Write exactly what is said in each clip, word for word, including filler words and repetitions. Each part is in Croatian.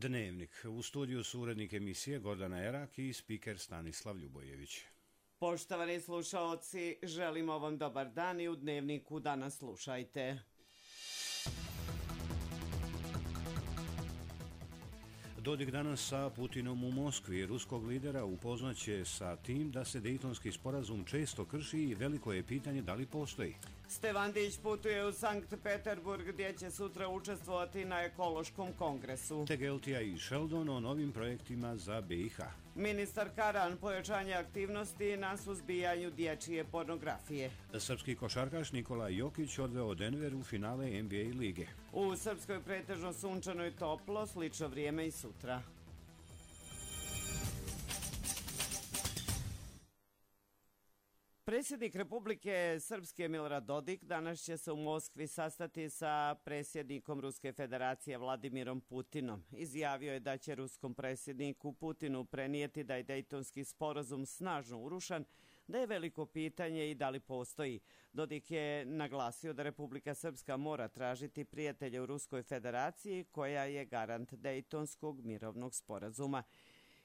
Dnevnik. U studiju su urednik emisije Gordana Erak i spiker Stanislav Ljubojević. Poštovani slušaoci, želimo vam dobar dan i u Dnevniku danas slušajte. Dodik danas sa Putinom u Moskvi. Ruskog lidera upoznaće sa tim da se Dejtonski sporazum često krši i veliko je pitanje da li postoji. Stevandić putuje u Sankt Peterburg gdje će sutra učestvovati na ekološkom kongresu. Tegeltija i Sheldon o novim projektima za B i H. Ministar Karan pojačanje aktivnosti na suzbijanju dječje pornografije. Srpski košarkaš Nikola Jokić odveo Denver u finale N B A lige. U Srpskoj pretežno sunčano i toplo, slično vrijeme i sutra. Predsjednik Republike Srpske Milorad Dodik danas će se u Moskvi sastati sa predsjednikom Ruske federacije Vladimirom Putinom. Izjavio je da će ruskom predsjedniku Putinu prenijeti da je Dejtonski sporazum snažno urušan, da je veliko pitanje i da li postoji. Dodik je naglasio da Republika Srpska mora tražiti prijatelje u Ruskoj federaciji koja je garant Dejtonskog mirovnog sporazuma.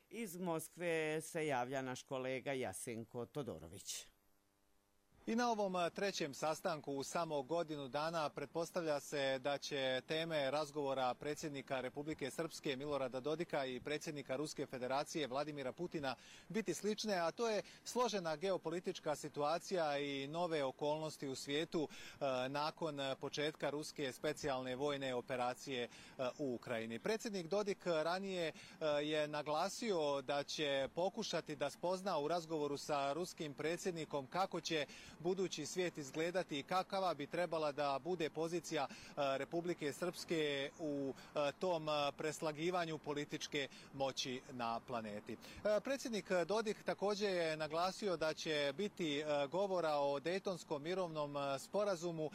Iz Moskve se javlja naš kolega Jasenko Todorović. I na ovom trećem sastanku u samo godinu dana pretpostavlja se da će teme razgovora predsjednika Republike Srpske Milorada Dodika i predsjednika Ruske federacije Vladimira Putina biti slične, a to je složena geopolitička situacija i nove okolnosti u svijetu nakon početka ruske specijalne vojne operacije u Ukrajini. Predsjednik Dodik ranije je naglasio da će pokušati da spozna u razgovoru sa ruskim predsjednikom kako će budući svijet izgledati i kakava bi trebala da bude pozicija Republike Srpske u tom preslagivanju političke moći na planeti. Predsjednik Dodik također je naglasio da će biti govora o Dejtonskom mirovnom sporazumu.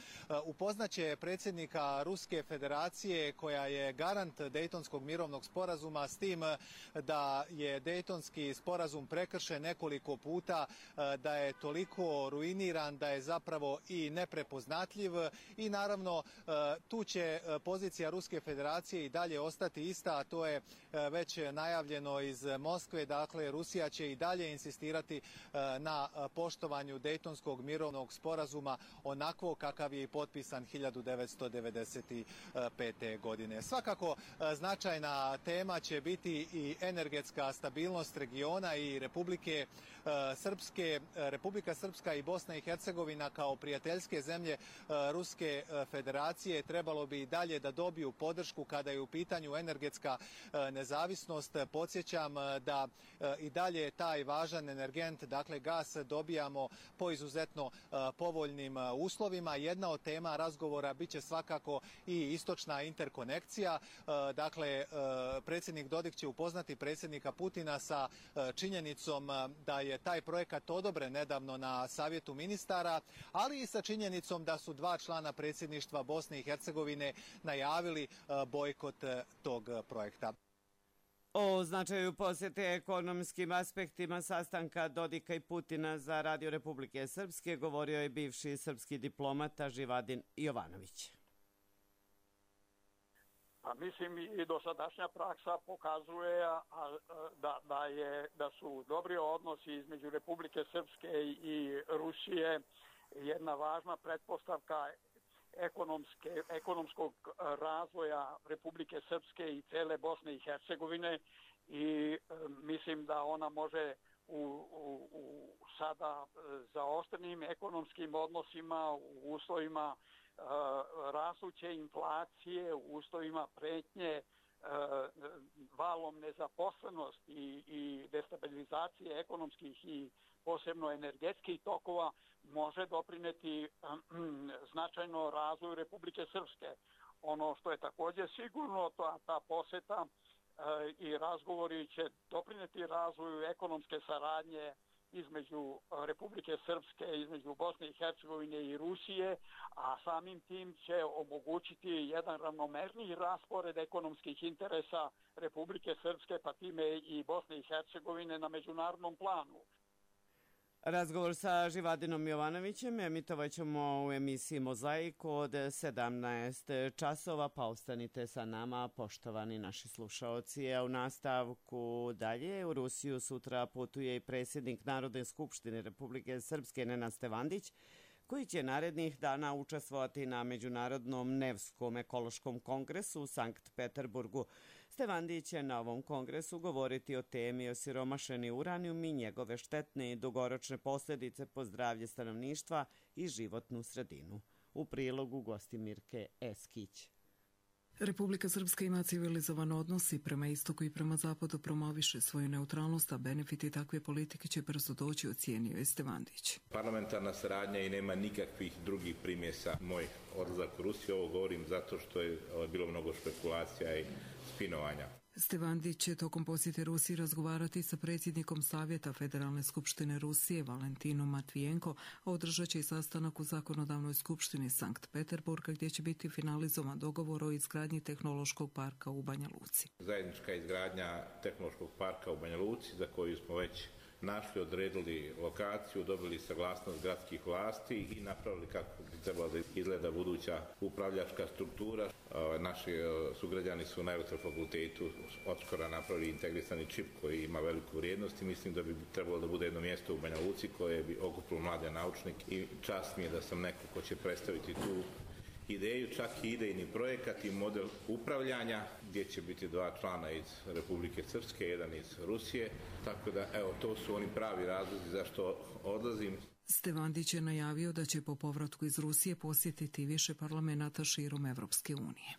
Upoznaće predsjednika Ruske federacije koja je garant Dejtonskog mirovnog sporazuma s tim da je Dejtonski sporazum prekršen nekoliko puta, da je toliko ruiniran, da je zapravo i neprepoznatljiv i naravno tu će pozicija Ruske federacije i dalje ostati ista, a to je već najavljeno iz Moskve. Dakle, Rusija će i dalje insistirati na poštovanju Dejtonskog mirovnog sporazuma onako kakav je i potpisan hiljadu devetsto devedeset pete. godine. Svakako značajna tema će biti i energetska stabilnost regiona i Republike Srpske, Republika Srpska i Bosna i Hercegovina kao prijateljske zemlje Ruske federacije trebalo bi i dalje da dobiju podršku kada je u pitanju energetska nezavisnost. Podsjećam da i dalje taj važan energent, dakle gas, dobijamo po izuzetno povoljnim uslovima. Jedna od tema razgovora biće svakako i istočna interkonekcija. Dakle, predsjednik Dodik će upoznati predsjednika Putina sa činjenicom da je taj projekat odobren nedavno na Savjetu ministara, ali i sa činjenicom da su dva člana predsjedništva Bosne i Hercegovine najavili bojkot tog projekta. O značaju posjete ekonomskim aspektima sastanka Dodika i Putina za Radio Republike Srpske govorio je bivši srpski diplomata Živadin Jovanović. Pa mislim i dosadašnja praksa pokazuje a, a, da, da, je, da su dobri odnosi između Republike Srpske i Rusije jedna važna pretpostavka ekonomske, ekonomskog razvoja Republike Srpske i cele Bosne i Hercegovine i e, mislim da ona može u, u, u sada zaoštrenim ekonomskim odnosima u uslovima Uh, rastuće inflacije, u uslovima pretnje uh, valom nezaposlenosti i, i destabilizacije ekonomskih i posebno energetskih tokova može doprineti um, značajno razvoju Republike Srpske. Ono što je također sigurno, to, ta posjeta uh, i razgovori će doprineti razvoju ekonomske saradnje između Republike Srpske, između Bosne i Hercegovine i Rusije, a samim tim će omogućiti jedan ravnomerniji raspored ekonomskih interesa Republike Srpske, pa time i Bosne i Hercegovine na međunarodnom planu. Razgovor sa Živadinom Jovanovićem emitovat ćemo u emisiji Mozaik od sedamnaest časova, pa ostanite sa nama, poštovani naši slušaoci. A u nastavku dalje u Rusiju sutra putuje i predsjednik Narodne skupštine Republike Srpske Nenad Stevandić, koji će narednih dana učestvovati na Međunarodnom Nevskom ekološkom kongresu u Sankt Peterburgu. Stevandić će na ovom kongresu govoriti o temi osiromašeni uranijum i njegove štetne i dugoročne posljedice po zdravlje stanovništva i životnu sredinu. U prilogu Gostimirke Eskić. Republika Srpska ima civilizovan odnos i prema istoku i prema zapadu promoviše svoju neutralnost, a benefiti takve politike će brzo doći, ocijenio je Stevandić. Parlamentarna saradnja i nema nikakvih drugih primjesa. Moj odlazak u Rusiju, ovo govorim zato što je bilo mnogo špekulacija i spinovanja. Stevandić će tokom posjete Rusiji razgovarati sa predsjednikom Savjeta Federalne skupštine Rusije Valentinom Matvijenko, a održat će i sastanak u Zakonodavnoj skupštini Sankt Peterburga gdje će biti finalizovan dogovor o izgradnji tehnološkog parka u Banja Luci. Zajednička izgradnja tehnološkog parka u Banja Luci, za koju smo već našli, odredili lokaciju, dobili saglasnost gradskih vlasti i napravili kako bi trebala da izgleda buduća upravljačka struktura. Naši sugrađani su na Aerotel fakultetu odskora napravili integrisani čip koji ima veliku vrijednost i mislim da bi trebalo da bude jedno mjesto u Banja Luci koje bi okupilo mlade naučnike i čast mi je da sam neko ko će predstaviti tu ideju, čak i idejni projekat i model upravljanja gdje će biti dva člana iz Republike Srpske, jedan iz Rusije, tako da evo to su oni pravi razlozi zašto odlazim. Stevandić je najavio da će po povratku iz Rusije posjetiti više parlamenata širom Evropske unije.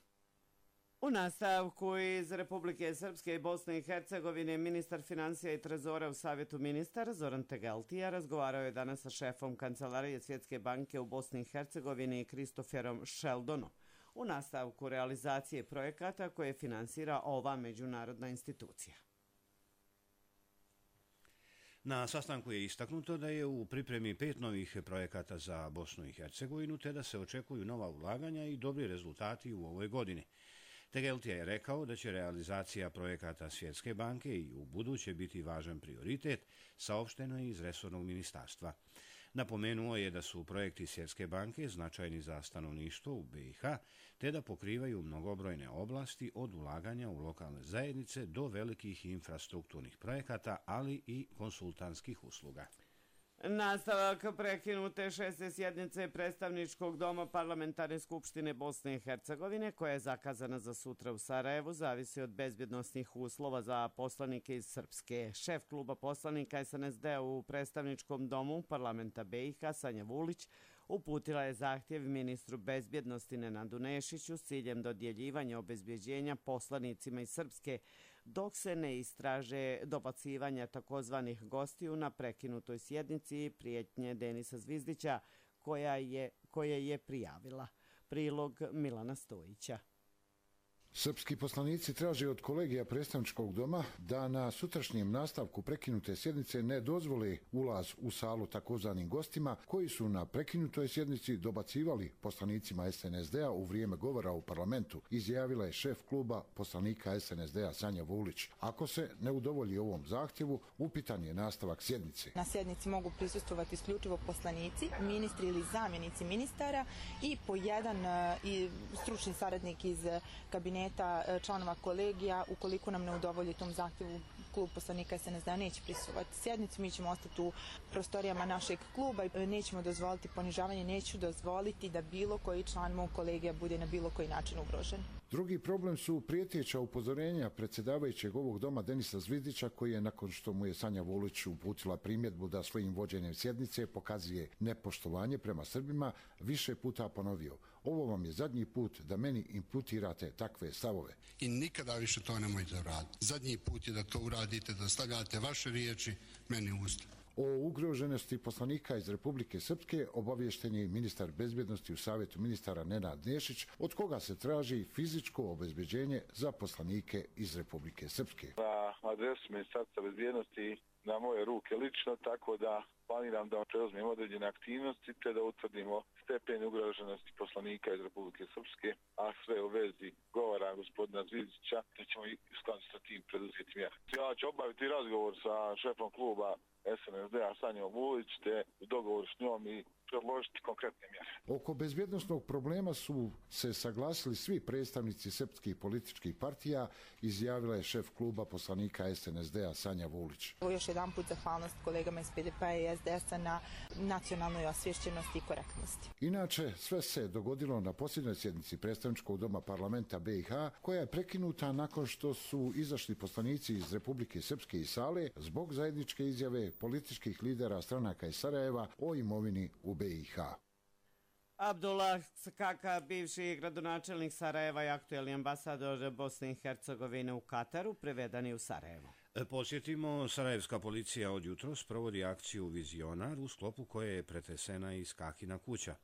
U nastavku iz Republike Srpske i Bosne i Hercegovine ministar financija i trezora u Savjetu ministara Zoran Tegeltija razgovarao je danas sa šefom Kancelarije Svjetske banke u Bosni i Hercegovini Kristoferom Sheldonom u nastavku realizacije projekata koje finansira ova međunarodna institucija. Na sastanku je istaknuto da je u pripremi pet novih projekata za Bosnu i Hercegovinu te da se očekuju nova ulaganja i dobri rezultati u ovoj godini. Tegeltija je rekao da će realizacija projekata Svjetske banke i u buduće biti važan prioritet, saopšteno je iz resornog ministarstva. Napomenuo je da su projekti Svjetske banke značajni za stanovništvo u be i ha, te da pokrivaju mnogobrojne oblasti od ulaganja u lokalne zajednice do velikih infrastrukturnih projekata, ali i konsultantskih usluga. Nastavak prekinute šeste sjednice predstavničkog doma Parlamentarne skupštine Bosne i Hercegovine, koja je zakazana za sutra u Sarajevu, zavisi od bezbjednosnih uslova za poslanike iz Srpske. Šef kluba poslanika es en es de u predstavničkom domu parlamenta be i ha, Sanja Vulić, uputila je zahtjev ministru bezbjednosti Nenadu Nešiću s ciljem dodjeljivanja obezbjeđenja poslanicima iz Srpske dok se ne istraže dobacivanja takozvanih gostiju na prekinutoj sjednici prijetnje Denisa Zvizdića koja je, koje je prijavila. Prilog Milana Stojića. Srpski poslanici traže od kolegija predstavničkog doma da na sutrašnjem nastavku prekinute sjednice ne dozvole ulaz u salu takozvanim gostima koji su na prekinutoj sjednici dobacivali poslanicima es en es de-a u vrijeme govora u parlamentu, izjavila je šef kluba poslanika es en es de-a Sanja Vulić. Ako se ne udovolji ovom zahtjevu, upitan je nastavak sjednice. Na sjednici mogu prisustvovati isključivo poslanici, ministri ili zamjenici ministara i po jedan i stručni saradnik iz kabineta članova kolegija. Ukoliko nam ne udovolji tom zahtjevu, klub poslanika es en es de-a neće prisustvovati sjednici. Mi ćemo ostati u prostorijama našeg kluba i nećemo dozvoliti ponižavanje, neću dozvoliti da bilo koji član mog kolegija bude na bilo koji način ugrožen. Drugi problem su prijeteća upozorenja predsjedavajućeg ovog doma Denisa Zvizdića, koji je nakon što mu je Sanja Vulić uputila primjedbu da svojim vođenjem sjednice pokazuje nepoštovanje prema Srbima, više puta ponovio: ovo vam je zadnji put da meni imputirate takve stavove. I nikada više to nemojte raditi. Zadnji put je da to uradite, da stavljate vaše riječi meni u usta. O ugroženosti poslanika iz Republike Srpske obaviješten je ministar bezbjednosti u Savjetu ministara Nenad Nešić, od koga se traži fizičko obezbeđenje za poslanike iz Republike Srpske. Na adresu ministarstva bezbjednosti na moje ruke lično, tako da planiram da preuzmemo određene aktivnosti te da utvrdimo stepen ugroženosti poslanika iz Republike Srpske, a sve u vezi govora gospodina Zvizdića, te ćemo i u skladu sa tim preduzeti mjere. Ja ću obaviti razgovor sa šefom kluba S N S D-a Sanjom Vulić, te u dogovoru s njom i predložiti konkretne mjere. Oko bezbjednosnog problema su se saglasili svi predstavnici srpskih političkih partija, izjavila je šef kluba poslanika S N S D-a Sanja Vulić. Još jedan put zahvalnost kolegama iz P D P-a i S D S-a na nacionalnoj osvješćenosti i korektnosti. Inače, sve se dogodilo na posljednjoj sjednici predstavničkog doma parlamenta B i H, koja je prekinuta nakon što su izašli poslanici iz Republike Srpske iz sale zbog zajedničke izjave političkih lidera stranaka iz Sarajeva o imovini u B i H. Abdullah Skaka, bivši gradonačelnik Sarajeva i aktuelni ambasador Bosne i Hercegovine u Kataru, privedani u Sarajevo. Podsjetimo, sarajevska policija od jutros provodi akciju Vizionar, u sklopu koje je pretresena i Skakina kuća.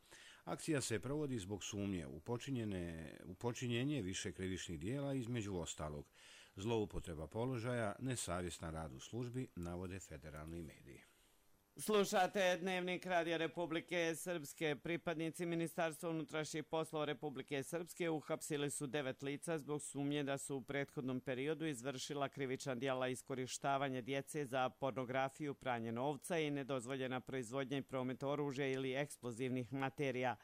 Akcija se provodi zbog sumnje u, u počinjenje više krivičnih dijela, između ostalog zloupotreba položaja, nesavjestan rad u službi, navode federalni mediji. Slušate Dnevnik Radija Republike Srpske. Pripadnici Ministarstva unutrašnjih poslova Republike Srpske uhapsili su devet lica zbog sumnje da su u prethodnom periodu izvršila krivična djela iskorištavanja djece za pornografiju, pranje novca i nedozvoljena proizvodnja i promet oružja ili eksplozivnih materija.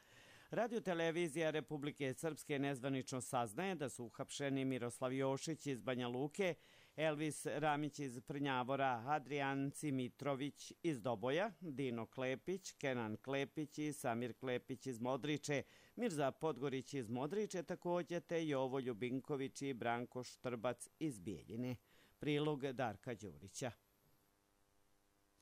Radio-televizija Republike Srpske nezvanično saznaje da su uhapšeni Miroslav Jošić iz Banja Luke, Elvis Ramić iz Prnjavora, Adrijan Cimitrović iz Doboja, Dino Klepić, Kenan Klepić i Samir Klepić iz Modriče, Mirza Podgorić iz Modriče također, te Jovo Ljubinković i Branko Štrbac iz Bijeljine. Prilog Darka Đurića.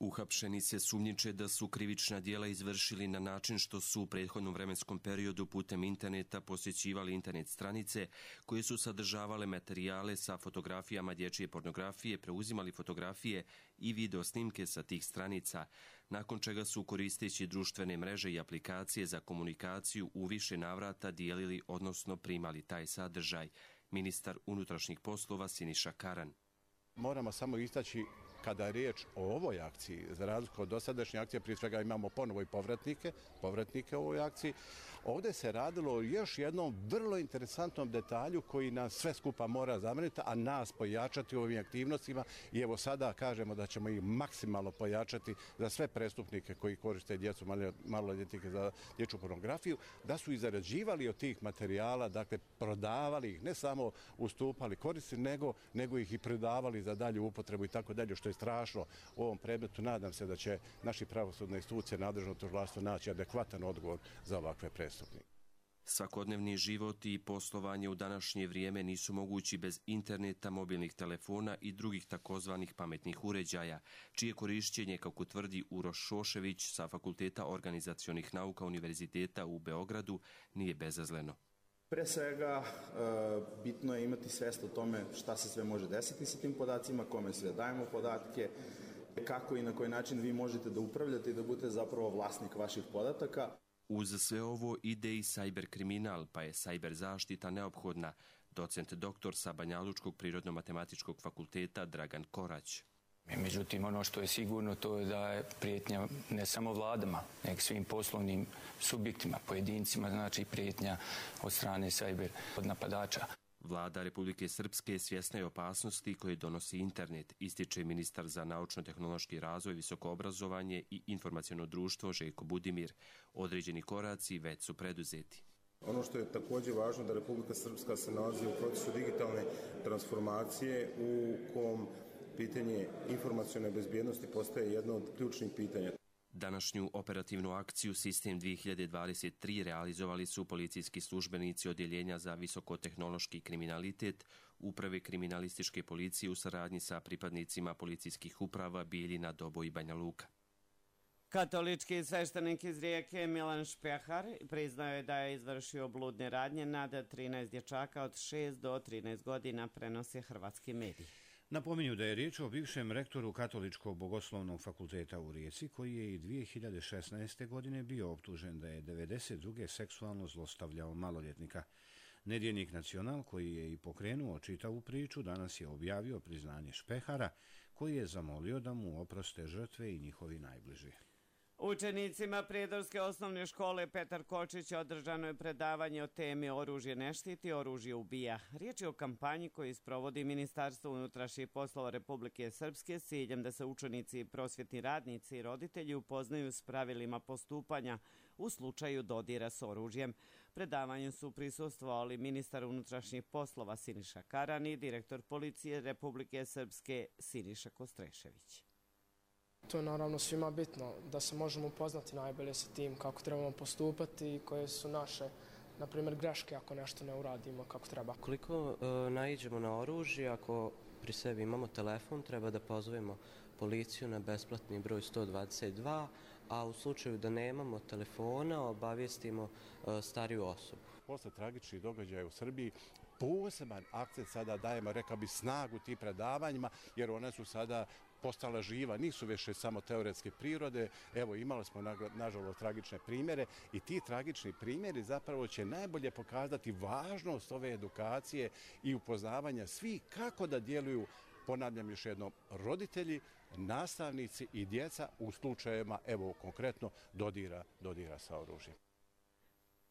Uhapšeni se sumnjiče da su krivična djela izvršili na način što su u prethodnom vremenskom periodu putem interneta posjećivali internet stranice koje su sadržavale materijale sa fotografijama dječje pornografije, preuzimali fotografije i video snimke sa tih stranica, nakon čega su koristeći društvene mreže i aplikacije za komunikaciju u više navrata dijelili, odnosno primali taj sadržaj. Ministar unutrašnjih poslova Siniša Karan. Moramo samo istaći kada je riječ o ovoj akciji, za razliku od dosadašnje akcije, prije svega imamo ponovo i povratnike, povratnike u ovoj akciji. Ovdje se radilo o još jednom vrlo interesantnom detalju koji nas sve skupa mora zabrinuti, a nas pojačati u ovim aktivnostima. I evo sada kažemo da ćemo ih maksimalno pojačati za sve prestupnike koji koriste djecu, maloljetnike za dječju pornografiju, da su i zarađivali od tih materijala, dakle prodavali ih, ne samo ustupali koristi, nego, nego ih i prodavali za dalju upotrebu i tako dalje, što je strašno u ovom predmetu. Nadam se da će naši pravosudne institucije, nadležno tužilaštvo naći adekvatan odgovor za ovakve prestupnike. Svakodnevni život i poslovanje u današnje vrijeme nisu mogući bez interneta, mobilnih telefona i drugih takozvanih pametnih uređaja, čije korišćenje, kako tvrdi Uroš Šošević sa Fakulteta organizacionih nauka Univerziteta u Beogradu, nije bezazleno. Pre svega, bitno je imati svest o tome šta se sve može desiti sa tim podacima, kome sve dajemo podatke, kako i na koji način vi možete da upravljate i da budete zapravo vlasnik vaših podataka. Uz sve ovo ide i sajber kriminal, pa je sajber zaštita neophodna. Docent doktor sa Banjalučkog prirodno-matematičkog fakulteta Dragan Korać. Međutim, ono što je sigurno to je da je prijetnja ne samo vladama, nego svim poslovnim subjektima, pojedincima, znači prijetnja od strane sajber napadača. Vlada Republike Srpske svjesna je opasnosti koje donosi internet, ističe ministar za naučno-tehnološki razvoj, visoko obrazovanje i informaciono društvo Željko Budimir. Određeni koraci već su preduzeti. Ono što je također važno da Republika Srpska se nalazi u procesu digitalne transformacije u kom pitanje informacione bezbjednosti postaje jedno od ključnih pitanja. Današnju operativnu akciju Sistem dvije hiljade dvadeset tri realizovali su policijski službenici Odjeljenja za visokotehnološki kriminalitet Uprave kriminalističke policije u saradnji sa pripadnicima policijskih uprava Bijeljina, Doboj i Banja Luka. Katolički sveštenik iz Rijeke Milan Špehar priznao je da je izvršio bludne radnje nad trinaest dječaka od šest do trinaest godina, prenose hrvatski mediji. Napominju da je riječ o bivšem rektoru Katoličkog bogoslovnog fakulteta u Rijeci, koji je i dvije hiljade šesnaeste. godine bio optužen da je devedeset druge seksualno zlostavljao maloljetnika. Nedjeljnik Nacional, koji je i pokrenuo čitavu priču, danas je objavio priznanje Špehara, koji je zamolio da mu oproste žrtve i njihovi najbliži. Učenicima Prijedorske osnovne škole Petar Kočić održano je predavanje o temi Oružje ne štiti, oružje ubija. Riječ je o kampanji koju sprovodi Ministarstvo unutrašnjih poslova Republike Srpske s ciljem da se učenici, prosvjetni radnici i roditelji upoznaju s pravilima postupanja u slučaju dodira s oružjem. Predavanju su prisustvovali ministar unutrašnjih poslova Siniša Karan i direktor policije Republike Srpske Siniša Kostrešević. To je naravno svima bitno, da se možemo upoznati najbolje sa tim kako trebamo postupati i koje su naše, na primjer, greške ako nešto ne uradimo kako treba. Koliko e, naiđemo na oružje, ako pri sebi imamo telefon, treba da pozovemo policiju na besplatni broj sto dvadeset dva, a u slučaju da nemamo telefona, obavijestimo e, stariju osobu. Posle tragičnih događaja u Srbiji poseban akcent sada dajemo, rekao bi, snagu tim predavanjima, jer one su sada postala živa, nisu više samo teoretske prirode. Evo, imali smo nažalost tragične primjere i ti tragični primjeri zapravo će najbolje pokazati važnost ove edukacije i upoznavanja svih kako da djeluju, ponavljam još jednom, roditelji, nastavnici i djeca u slučajevima, evo konkretno, dodira, dodira sa oružjem.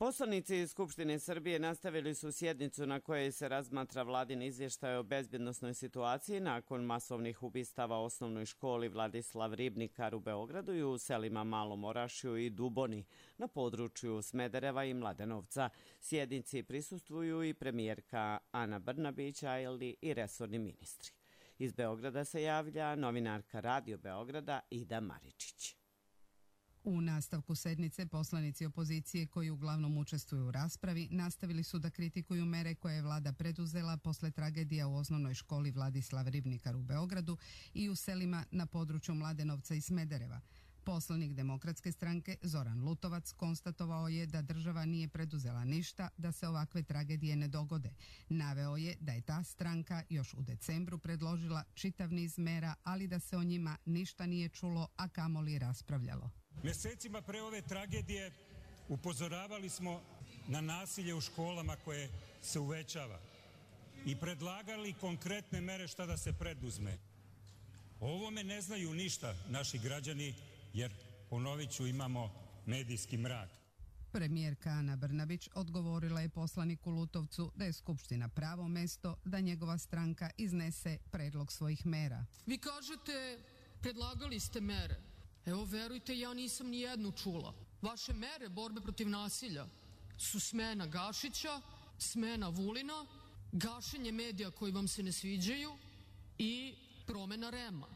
Poslanici Skupštine Srbije nastavili su sjednicu na kojoj se razmatra vladin izvještaj o bezbjednosnoj situaciji nakon masovnih ubistava u osnovnoj školi Vladislav Ribnikar u Beogradu i u selima Malom Orašju i Duboni na području Smedereva i Mladenovca. Sjednici prisustvuju i premijerka Ana Brnabić, ali i resorni ministri. Iz Beograda se javlja novinarka Radio Beograda Ida Maričić. U nastavku sednice poslanici opozicije koji uglavnom učestvuju u raspravi nastavili su da kritikuju mere koje je vlada preduzela posle tragedija u osnovnoj školi Vladislav Ribnikar u Beogradu i u selima na području Mladenovca i Smedereva. Poslanik Demokratske stranke Zoran Lutovac konstatovao je da država nije preduzela ništa da se ovakve tragedije ne dogode. Naveo je da je ta stranka još u decembru predložila čitav niz mera, ali da se o njima ništa nije čulo, a kamoli raspravljalo. Mesecima pre ove tragedije upozoravali smo na nasilje u školama koje se uvećava i predlagali konkretne mere šta da se preduzme. O ovome ne znaju ništa naši građani, jer, ponovit ću, imamo medijski mrak. Premijerka Ana Brnabić odgovorila je poslaniku Lutovcu da je Skupština pravo mesto da njegova stranka iznese predlog svojih mera. Vi kažete, predlagali ste mere. Evo, verujte, ja nisam ni jednu čula. Vaše mere borbe protiv nasilja su smena Gašića, smena Vulina, gašenje medija koji vam se ne sviđaju i promena Rema.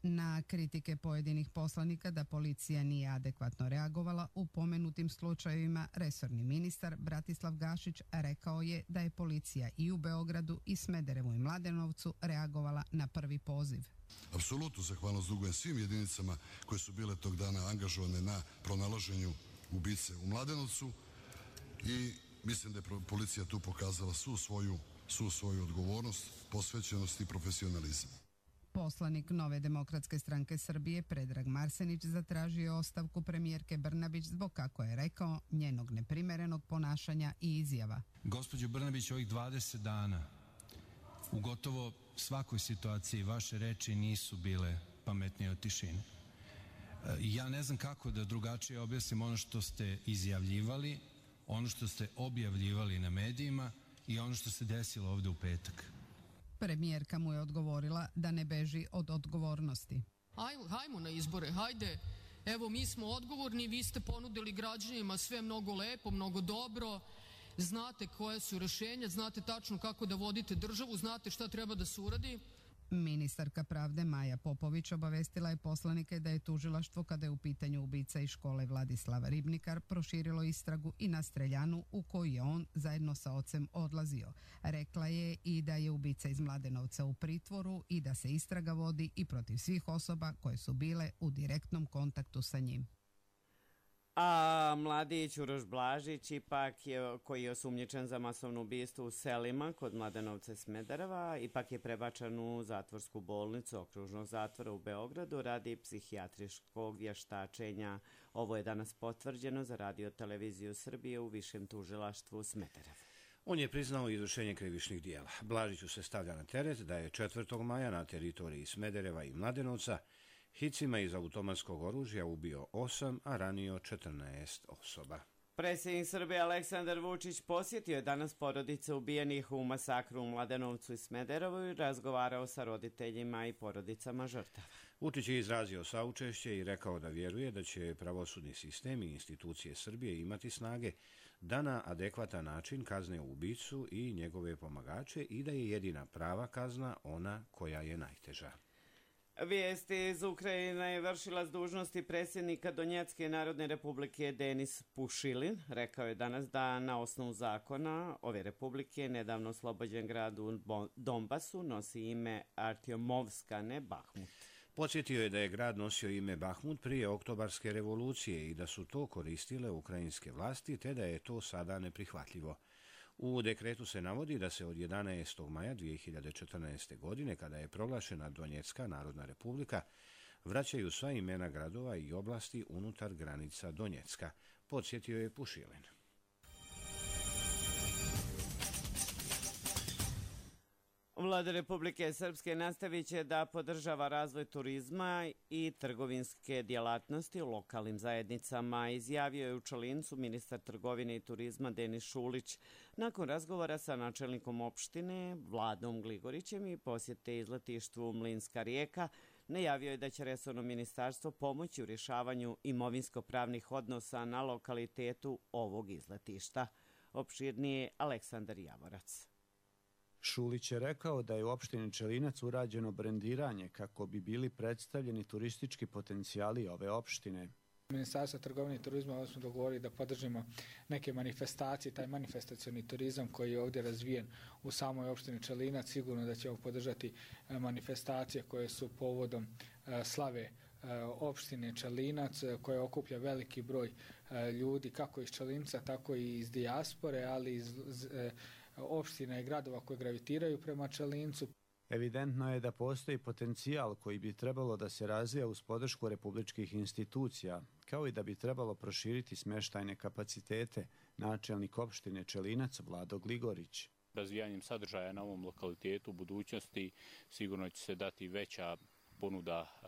Na kritike pojedinih poslanika da policija nije adekvatno reagovala u pomenutim slučajevima, resorni ministar Bratislav Gašić rekao je da je policija i u Beogradu i Smederevu i Mladenovcu reagovala na prvi poziv. Apsolutno zahvalnost dugujem svim jedinicama koje su bile tog dana angažovane na pronalaženju ubice u Mladenovcu i mislim da je policija tu pokazala svu svoju, svu svoju odgovornost, posvećenost i profesionalizam. Poslanik Nove demokratske stranke Srbije Predrag Marsenić zatražio ostavku premijerke Brnabić zbog, kako je rekao, njenog neprimerenog ponašanja i izjava. Gospođo Brnabić, ovih dvadeset dana u gotovo svakoj situaciji vaše reči nisu bile pametnije od tišine. Ja ne znam kako da drugačije objasnim ono što ste izjavljivali, ono što ste objavljivali na medijima i ono što se desilo ovde u petak. Premijerka mu je odgovorila da ne beži od odgovornosti. Hajmo, hajmo na izbore, hajde. Evo, mi smo odgovorni, vi ste ponudili građanima sve mnogo lepo, mnogo dobro. Znate koje su rešenja, znate tačno kako da vodite državu, znate šta treba da se uradi. Ministarka pravde Maja Popović obavestila je poslanike da je tužilaštvo, kada je u pitanju ubica iz škole Vladislava Ribnikar, proširilo istragu i na streljanu u koju je on zajedno sa ocem odlazio. Rekla je i da je ubica iz Mladenovca u pritvoru i da se istraga vodi i protiv svih osoba koje su bile u direktnom kontaktu sa njim. A mladić Uroš Blažić, ipak je, koji je osumnjičen za masovno ubistvo u selima kod Mladenovca i Smedereva, ipak je prebačen u zatvorsku bolnicu okružnog zatvora u Beogradu radi psihijatričkog vještačenja. Ovo je danas potvrđeno za Radio televiziju Srbije u Višem tužilaštvu Smederevu. On je priznao izvršenje krivičnih dijela. Blažiću se stavlja na teret da je četvrtog maja na teritoriji Smedereva i Mladenovca hicima iz automatskog oružja ubio osam, a ranio četrnaest osoba. Predsjednik Srbije Aleksandar Vučić posjetio je danas porodice ubijenih u masakru u Mladenovcu i Smederevu i razgovarao sa roditeljima i porodicama žrtava. Vučić je izrazio saučešće i rekao da vjeruje da će pravosudni sistem i institucije Srbije imati snage da na adekvatan način kazne ubicu i njegove pomagače i da je jedina prava kazna ona koja je najteža. Vijesti iz Ukrajine je vršilac dužnosti predsjednika Donjecke narodne republike Denis Pušilin. Rekao je danas da na osnovu zakona ove republike nedavno oslobođen grad u Donbasu nosi ime Artjomovska, ne Bahmut. Podsjetio je da je grad nosio ime Bahmut prije oktobarske revolucije i da su to koristile ukrajinske vlasti, te da je to sada neprihvatljivo. U dekretu se navodi da se od jedanaestog maja dvije hiljade četrnaeste. godine, kada je proglašena Donjecka narodna republika, vraćaju sva imena gradova i oblasti unutar granica Donjecka, podsjetio je Pušilin. Vlada Republike Srpske nastavit će da podržava razvoj turizma i trgovinske djelatnosti u lokalnim zajednicama, izjavio je u Čalincu ministar trgovine i turizma Denis Šulić nakon razgovora sa načelnikom opštine Vladom Gligorićem i posjete izletištvu Mlinska Rijeka. Najavio je da će resorno ministarstvo pomoći u rješavanju imovinsko-pravnih odnosa na lokalitetu ovog izletišta. Opširnije Aleksandar Javorac. Šulić je rekao da je u opštini Čelinac urađeno brendiranje kako bi bili predstavljeni turistički potencijali ove opštine. Ministarstvo trgovine i turizma smo dogovorili da podržimo neke manifestacije, taj manifestacioni turizam koji je ovdje razvijen u samoj opštini Čelinac. Sigurno da ćemo podržati manifestacije koje su povodom slave opštine Čelinac, koja okuplja veliki broj ljudi kako iz Čelinca, tako i iz dijaspore, ali iz opština i gradova koje gravitiraju prema Čelincu. Evidentno je da postoji potencijal koji bi trebalo da se razvija uz podršku republičkih institucija, kao i da bi trebalo proširiti smještajne kapacitete, načelnik opštine Čelinac Vlado Gligorić. Razvijanjem sadržaja na ovom lokalitetu u budućnosti sigurno će se dati veća ponuda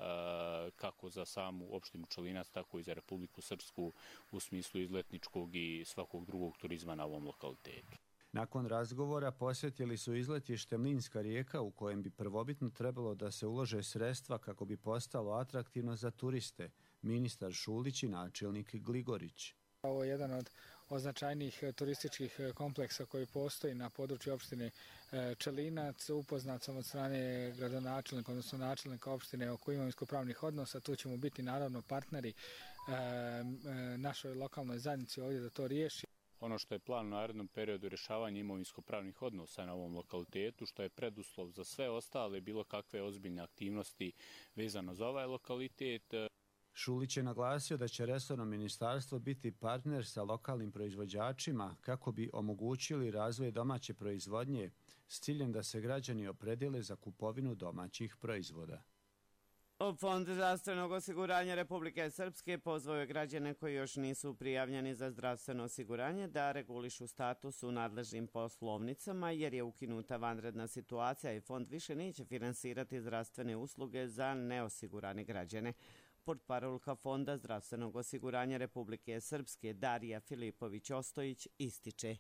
kako za samu opštinu Čelinac, tako i za Republiku Srpsku u smislu izletničkog i svakog drugog turizma na ovom lokalitetu. Nakon razgovora posjetili su izletište Mlinska Rijeka u kojem bi prvobitno trebalo da se ulože sredstva kako bi postalo atraktivno za turiste, ministar Šulić i načelnik Gligorić. Ovo je jedan od označajnijih turističkih kompleksa koji postoji na području opštine Čelinac. Upoznat sam od strane gradonačelnika, odnosno načelnika opštine oko imovinsko-pravnih odnosa. Tu ćemo biti naravno partneri našoj lokalnoj zajednici ovdje da to riješi. Ono što je plan u narednom periodu rješavanja imovinsko-pravnih odnosa na ovom lokalitetu, što je preduslov za sve ostale bilo kakve ozbiljne aktivnosti vezano za ovaj lokalitet. Šulić je naglasio da će resorno ministarstvo biti partner sa lokalnim proizvođačima kako bi omogućili razvoj domaće proizvodnje s ciljem da se građani opredele za kupovinu domaćih proizvoda. Fond zdravstvenog osiguranja Republike Srpske pozvao je građane koji još nisu prijavljeni za zdravstveno osiguranje da regulišu status u nadležnim poslovnicama jer je ukinuta vanredna situacija i fond više neće finansirati zdravstvene usluge za neosigurane građane. Portparolka Fonda zdravstvenog osiguranja Republike Srpske Darija Filipović-Ostojić ističe.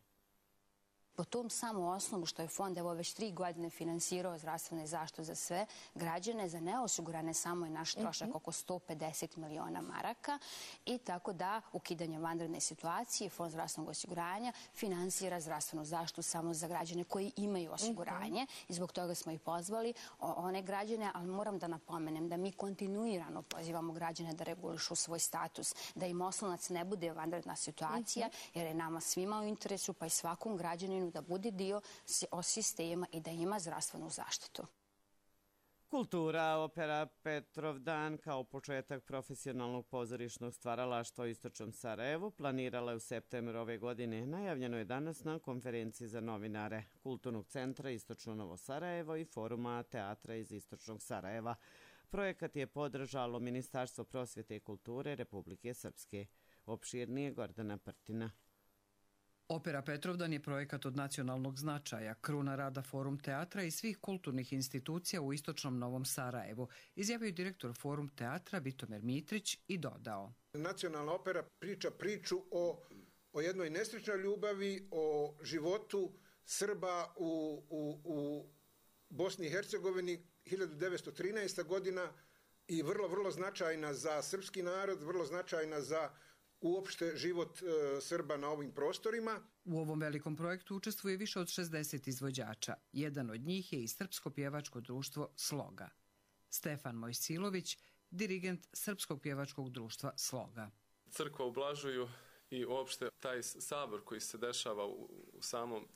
Po tom samom osnovu što je fond evo već tri godine finansirao zdravstvene zaštitu za sve građane, za neosigurane samo je naš trošak oko sto pedeset miliona maraka i tako da ukidanje vanredne situacije fond zdravstvenog osiguranja finansira zdravstvenu zaštitu samo za građane koji imaju osiguranje i zbog toga smo i pozvali one građane, ali moram da napomenem da mi kontinuirano pozivamo građane da regulišu svoj status, da im oslonac ne bude vanredna situacija jer je nama svima u interesu pa i svakom građaninu da bude dio sistema i da ima zdravstvenu zaštitu. Kultura, opera Petrovdan kao početak profesionalnog pozorišnog stvaralaštva u istočnom Sarajevu planirala je u septembru ove godine. Najavljeno je danas na konferenciji za novinare Kulturnog centra Istočno Novo Sarajevo i Foruma teatra iz Istočnog Sarajeva. Projekat je podržalo Ministarstvo prosvjete i kulture Republike Srpske. Opširnije Gordana Prtina. Opera Petrovdan je projekat od nacionalnog značaja, kruna rada Forum teatra i svih kulturnih institucija u istočnom Novom Sarajevu, izjavio direktor Forum teatra Vitomer Mitrić i dodao. Nacionalna opera priča priču o, o jednoj nesrećnoj ljubavi, o životu Srba u, u, u Bosni i Hercegovini hiljadu devetsto trinaesta. godina i vrlo, vrlo značajna za srpski narod, vrlo značajna za uopšte život e, Srba na ovim prostorima. U ovom velikom projektu učestvuje više od šezdeset izvođača. Jedan od njih je i Srpsko pjevačko društvo Sloga. Stefan Mojsilović, dirigent Srpskog pjevačkog društva Sloga. Crkva u Blažuju i uopšte taj sabor koji se dešava u, u samom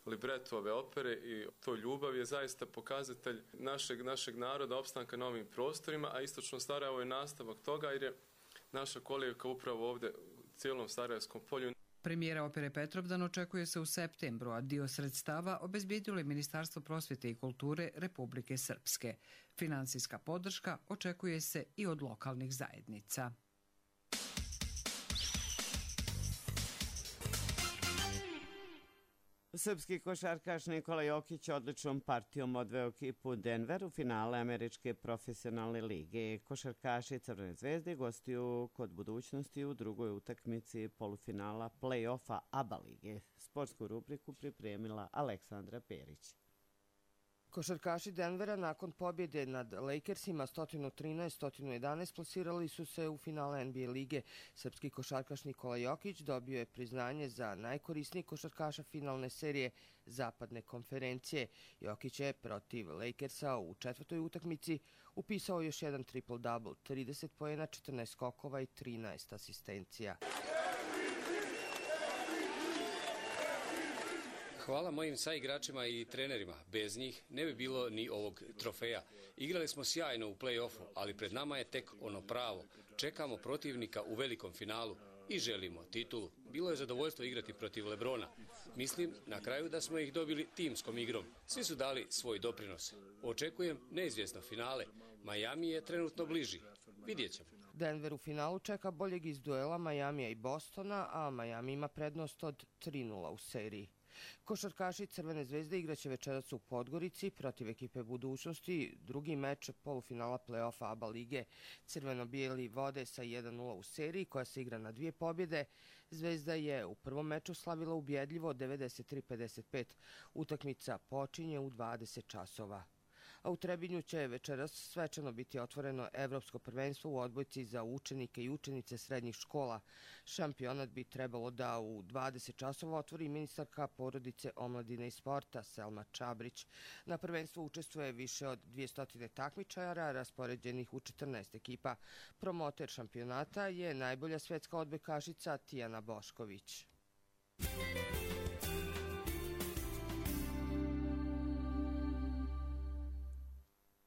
libretu ove opere i to ljubav je zaista pokazatelj našeg, našeg naroda, opstanka na ovim prostorima, a istočno Sarajevo je nastavak toga jer je naša kolijevka upravo ovdje u cijelom Sarajevskom polju. Premijera opere Petrovdan očekuje se u septembru, a dio sredstava obezbijedilo je Ministarstvo prosvjete i kulture Republike Srpske. Finansijska podrška očekuje se i od lokalnih zajednica. Srpski košarkaš Nikola Jokić odličnom partijom odveo ekipu u Denver u finale Američke profesionalne lige. Košarkaši Crvene zvezde gostuju kod Budućnosti u drugoj utakmici polufinala play-offa A B A lige. Sportsku rubriku pripremila Aleksandra Perić. Košarkaši Denvera nakon pobjede nad Lakersima sto trinaest sto jedanaest plasirali su se u finale N B A lige. Srpski košarkaš Nikola Jokić dobio je priznanje za najkorisnijeg košarkaša finalne serije Zapadne konferencije. Jokić je protiv Lakersa u četvrtoj utakmici upisao još jedan triple-double, trideset poena, četrnaest skokova i trinaest asistencija. Hvala mojim saigračima i trenerima. Bez njih ne bi bilo ni ovog trofeja. Igrali smo sjajno u play-offu, ali pred nama je tek ono pravo. Čekamo protivnika u velikom finalu i želimo titulu. Bilo je zadovoljstvo igrati protiv Lebrona. Mislim na kraju da smo ih dobili timskom igrom. Svi su dali svoj doprinos. Očekujem neizvjesno finale. Miami je trenutno bliži. Vidjet ćemo. Denver u finalu čeka boljeg iz duela Miamija i Bostona, a Miami ima prednost od tri nula u seriji. Košarkaši Crvene zvezde igraće večeras u Podgorici protiv ekipe Budućnosti, drugi meč polufinala play-offa A B A lige. Crveno-bijeli vode sa jedan nula u seriji koja se igra na dvije pobjede. Zvezda je u prvom meču slavila ubjedljivo devedeset tri pedeset pet. Utakmica počinje u dvadeset časova. A u Trebinju će večeras svečano biti otvoreno Evropsko prvenstvo u odbojci za učenike i učenice srednjih škola. Šampionat bi trebalo da u dvadeset časova otvori ministarka porodice, omladine i sporta Selma Čabrić. Na prvenstvu učestvuje više od dvjesto takmičara raspoređenih u četrnaest ekipa. Promoter šampionata je najbolja svetska odbojkašica Tijana Bošković.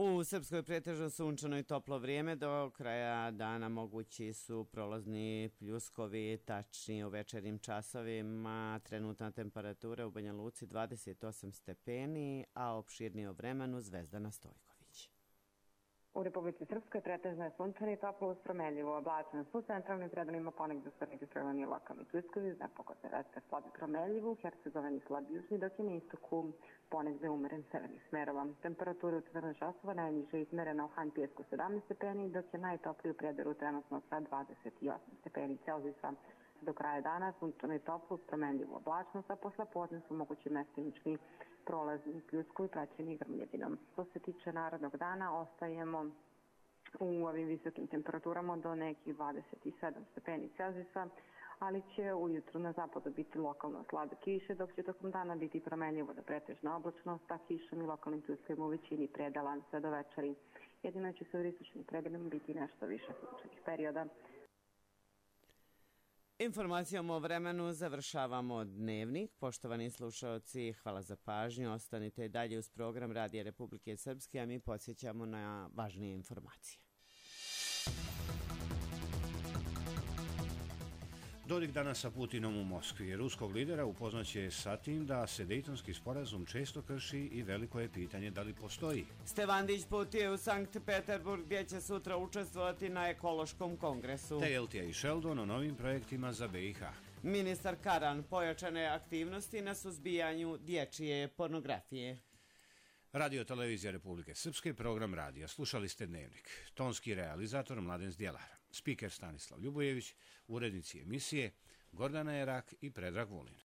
U Srpskoj pretežno sunčano i toplo vrijeme, do kraja dana mogući su prolazni pljuskovi, tačnije u večernjim časovima. Trenutna temperatura u Banja Luci dvadeset osam stepeni, a opširnije o vremenu Zvezdana Stojković. U Republici Srpskoj pretežno je sunčano i toplo uz promenljivo oblačno. U centralnim predelima ponegdje su registrovani lokalni pljuskovi, uz nepogodne vetre slabi promenljivo, u Hercegovini slabi južni, dok je na istoku ponegdje umeren severnih smerova. Temperatura u četrnaest časova najniže izmerena u Han Pijesku sedamnaest stepeni, dok je najtopliji u Prijedoru trenutno sa dvadeset osam stepeni Celzijusa. Do kraja dana sunčano i toplo uz promenljivu oblačnost, a posle podne su mogući mestimični prolazni pljuskovi praćeni grmljedinom. Što se tiče narodnog dana, ostajemo u ovim visokim temperaturama do nekih dvadeset sedam stepeni Celzijusa, ali će ujutru na zapadu biti lokalno slabe kiše, dok će tokom dana biti promenljivo do pretežna oblačnost, a kišom i lokalnim pljuskovima u većini predela sve do večeri. Jedino će se u istočnim predelima biti nešto više sunčanih perioda. Informacijom o vremenu završavamo dnevnik. Poštovani slušaoci, hvala za pažnju. Ostanite i dalje uz program Radija Republike Srpske, a mi podsjećamo na važnije informacije. Dodik danas sa Putinom u Moskvi. Ruskog lidera upoznaće sa tim da se Dejtonski sporazum često krši i veliko je pitanje da li postoji. Stevandić putuje u Sankt Peterburg gdje će sutra učestvovati na ekološkom kongresu. Tegeltija i Sheldon o novim projektima za B i H. Ministar Karan pojačane aktivnosti na suzbijanju dječje pornografije. Radio Televizija Republike Srpske, program radija. Slušali ste Dnevnik. Tonski realizator Mladen Zdjelar. Spiker Stanislav Ljubojević, urednici emisije Gordana Jerak i Predrag Vulin.